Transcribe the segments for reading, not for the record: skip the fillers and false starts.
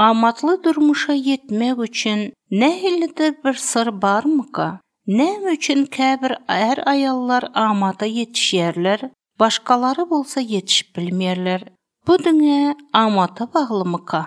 Amatly durmuşa ýetmek üçin nähilidir bir syr barmyka? Näme üçin käbir är-aýallar amada ýetişýärler, başgalary bolsa ýetişip bilmeýärler? Bu diňe amata baglymyka?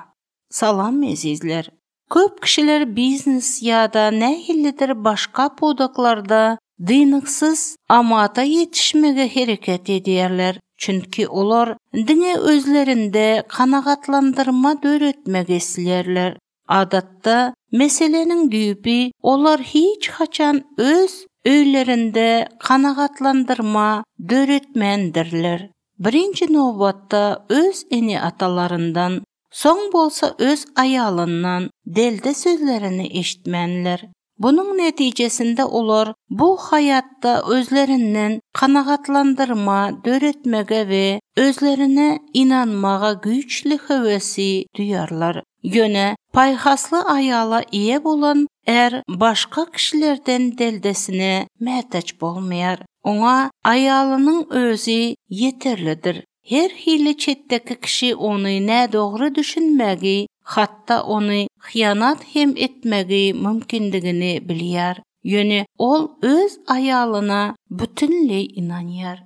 Salam ezizler! Köp kişiler biznes ýa-da nähilidir başga pudaklarda dynyksyz amata ýetişmege hereket edýärler, çünki olar diňe özlerinde kanagatlandyrma döretmek isleýärler. Adatda, meseläniň düýbi olar hiç haçan öz öýlerinde kanagatlandyrma döretmändirler. Birinji nobatda öz ene-atalaryndan, soň bolsa öz aýalyndan delde sözlerini eşitmänler. Bunuň netijesinde olar bu haýatda özlerinden kanagatlandyrma döretmege we özlerine ynanmaga güýçli höwesi duýarlar. Ýöne paýhasly aýala eýe bolan är başga kişilerden deldesine mätäç bolmaýar. Oňa aýalynyň özi ýeterlidir. Her hili çetdeki kişi ony nädogry düşünmegi, hatda ony hyýanat hem etmegi mümkindigini bilýär. Ýöne ol öz aýalyna bütinleý ynanýar.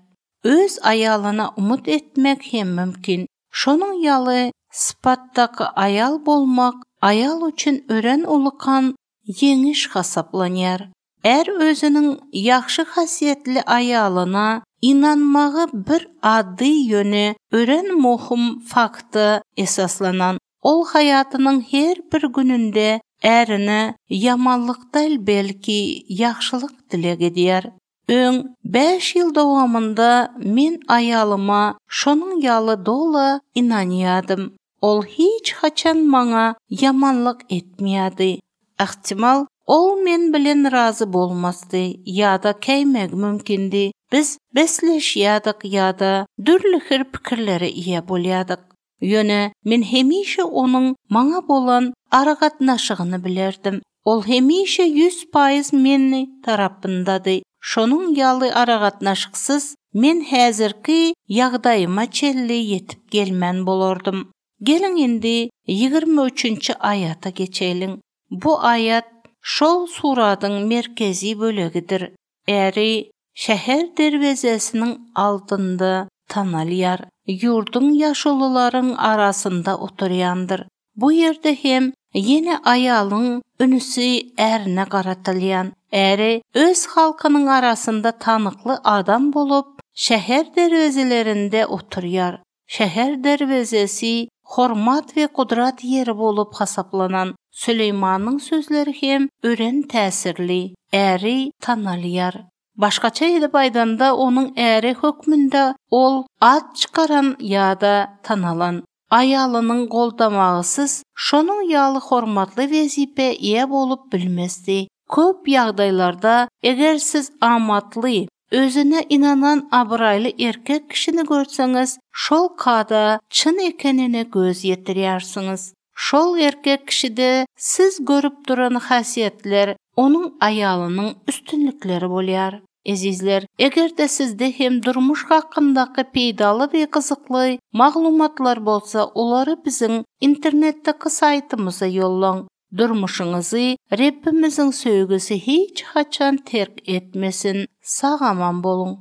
Öz aýalyna umyt etmek hem mümkin. Şonuň ýaly sypatdaky aýal bolmak aýal üçin örän ulykan ýeňiş hasaplanýar. Är özüniň ýagşy häsiýetli aýalyna ynanmagy bir ady ýöne örän möhüm fakta esaslanan. Ol haýatynyň her bir gününde ärine ýamanlyk däl belki ýagşylyk dileg edýär. Öň bäş ýyl dowamynda men aýalyma şonuň ýaly doly ynanýadym. Ol hiç haçan maňa ýamanlyk etmeýärdi. Ähtimal, ol men bilen razy bolmazdy ýa-da käýmegi mümkindi. Biz bäsleşýärdik ýa-da dürli hil pikirlere eýe bolýardyk. Ýöne men hemişe onuň maňa bolan aragatnaşygyny bilerdim. Ol hemişe 100% meni tarapyndady. Şonuň ýaly aragatnaşyksyz men häzirki ýagdaýyma çenli ýetip gelmän bolardym. Geliň indi 23-nji aýata geçeliň. Bu aýat şol suradyň merkezi bölegidir. Äri şäher derwezesiniň aldynda tanalýar, ýurduň ýaşulularyň arasynda oturýandyr. Bu ýerde hem ýene aýalyň ünsi ärine garatylýan. Äri öz halkynyň arasynda tanykly adam bolup, şäher derwezelerinde oturýar. Şäher derwezesi hormat we gudrat ýeri bolup hasaplanan Süleýmanyň sözleri hem örän täsirli, Äri tanalýar. Başgaça edip aýdanda, onuň äri hökmünde ol at çykaran ýa-da tanalan. Aýalynyň goldamagysyz şonuň ýaly hormatly wezipä eýe bolup bilmezdi. Köp ýagdaýlarda, eger siz amatly, özüne ynanan abraýly erkek kişini görseňiz, şol kada çyn ekenine göz ýetirýärsiňiz. Şol erkek kişide siz görüp duran häsiýetler onuň aýalynyň üstünlikleri bolýar. Ezizler, eger-de sizde hem durmuş hakyndaky peýdaly we gyzykly maglumatlar bolsa, olary biziň internetdeki saýtymyza ýollaň. Durmuşyňyzy Rebbimiziň söýgüsi hiç haçan terk etmesin. Sag-aman boluň!